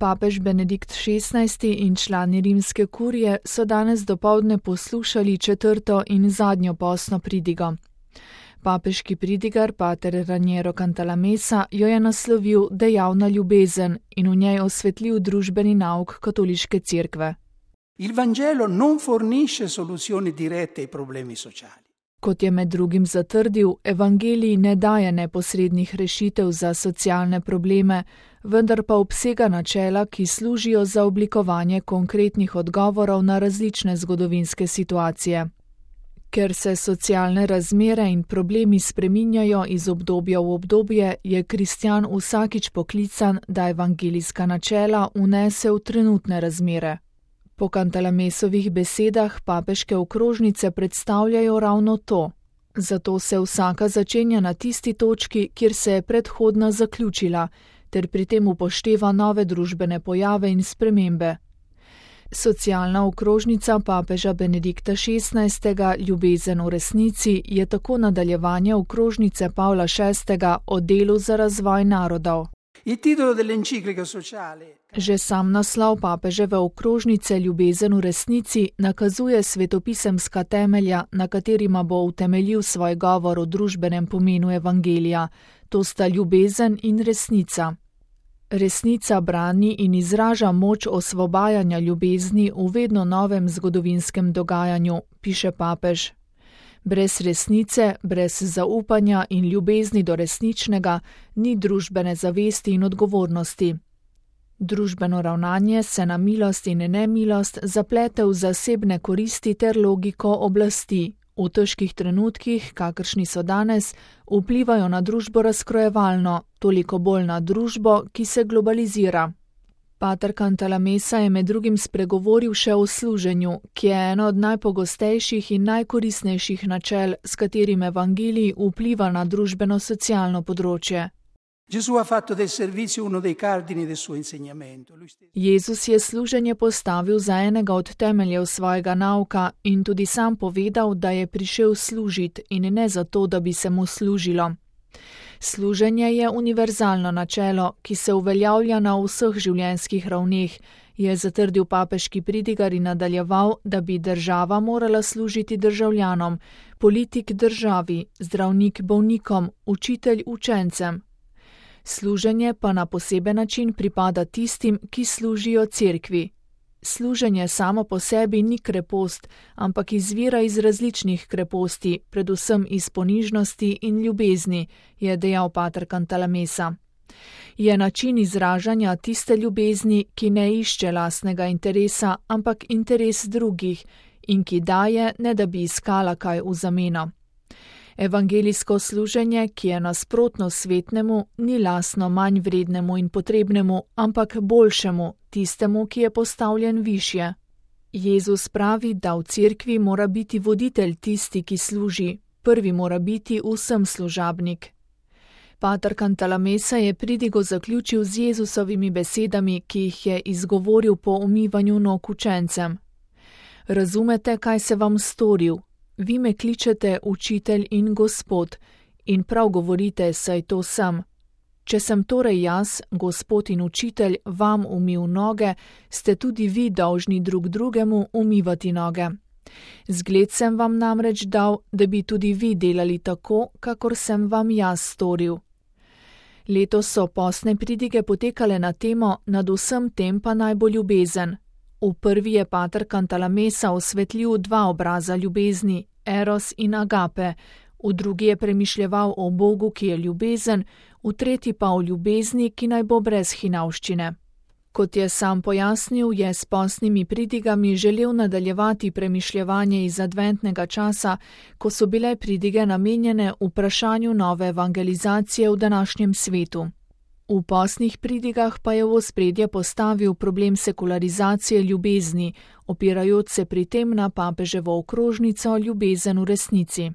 Papež Benedikt XVI in člani rimske kurije so danes dopoldne poslušali četrto in zadnjo postno pridigo. Papeški pridigar pater Raniero Cantalamessa jo je naslovil Dejavna ljubezen in v njej osvetlil družbeni nauk katoliške cerkve. Il Vangelo non fornisce soluzioni dirette ai problemi sociali. Kot je med drugim zatrdil, evangelij ne daje neposrednih rešitev za socialne probleme, vendar pa obsega načela, ki služijo za oblikovanje konkretnih odgovorov na različne zgodovinske situacije. Ker se socialne razmere in problemi spreminjajo iz obdobja v obdobje, je kristjan vsakič poklican, da evangelijska načela vnese v trenutne razmere. Po Cantalamessovih besedah papeške okrožnice predstavljajo ravno to. Zato se vsaka začenja na tisti točki, kjer se je predhodna zaključila, ter pri tem upošteva nove družbene pojave in spremembe. Socialna okrožnica papeža Benedikta XVI. Ljubezen v resnici je tako nadaljevanje okrožnice Pavla VI. O delu za razvoj narodov. Že sam naslov papeževe okrožnice Ljubezen v resnici nakazuje svetopisemska temelja, na katerima bo utemeljil svoj govor o družbenem pomenu evangelija. To sta ljubezen in resnica. Resnica brani in izraža moč osvobajanja ljubezni v vedno novem zgodovinskem dogajanju, piše papež. Brez resnice, brez zaupanja in ljubezni do resničnega ni družbene zavesti in odgovornosti. Družbeno ravnanje se na milost in nemilost zaplete v zasebne koristi ter logiko oblasti. V težkih trenutkih, kakršni so danes, vplivajo na družbo razkrojevalno, toliko bolj na družbo, ki se globalizira. Pater Cantalamessa je med drugim spregovoril še o služenju, ki je eno od najpogostejših in najkoristnejših načel, s katerim evangelij vpliva na družbeno-socialno področje. Jezus je služenje postavil za enega od temeljev svojega nauka in tudi sam povedal, da je prišel služiti in ne zato, da bi se mu služilo. Služenje je univerzalno načelo, ki se uveljavlja na vseh življenjskih ravneh, je zatrdil papeški pridigar in nadaljeval, da bi država morala služiti državljanom, politik državi, zdravnik bolnikom, učitelj učencem. Služenje pa na poseben način pripada tistim, ki služijo cerkvi. Služenje samo po sebi ni krepost, ampak izvira iz različnih kreposti, predvsem iz ponižnosti in ljubezni, je dejal pater Cantalamessa. Je način izražanja tiste ljubezni, ki ne išče lastnega interesa, ampak interes drugih in ki daje, ne da bi iskala kaj v zameno. Evangelijsko služenje, ki je nasprotno svetnemu, ni lastno manj vrednemu in potrebnemu, ampak boljšemu, tistemu, ki je postavljen višje. Jezus pravi, da v cerkvi mora biti voditelj tisti, ki služi, prvi mora biti vsem služabnik. Pater Cantalamessa je pridigo zaključil z Jezusovimi besedami, ki jih je izgovoril po umivanju nog učencem. Razumete, kaj se vam storil? Vi me kličete učitelj in gospod in prav govorite, saj to sem. Če sem torej jaz, gospod in učitelj, vam umil noge, ste tudi vi dolžni drug drugemu umivati noge. Zgled sem vam namreč dal, da bi tudi vi delali tako, kakor sem vam jaz storil. Letos so postne pridige potekale na temo Nad vsem tem pa naj bo ljubezen. V prvi je pater Cantalamessa osvetlil dva obraza ljubezni, eros in agape, v drugi je premišljeval o Bogu, ki je ljubezen, v tretji pa o ljubezni, ki naj bo brez hinavščine. Kot je sam pojasnil, je s postnimi pridigami želel nadaljevati premišljevanje iz adventnega časa, ko so bile pridige namenjene vprašanju nove evangelizacije v današnjem svetu. V postnih pridigah pa je v ospredje postavil problem sekularizacije ljubezni, opirajoč se pri tem na papeževo okrožnico Ljubezen v resnici.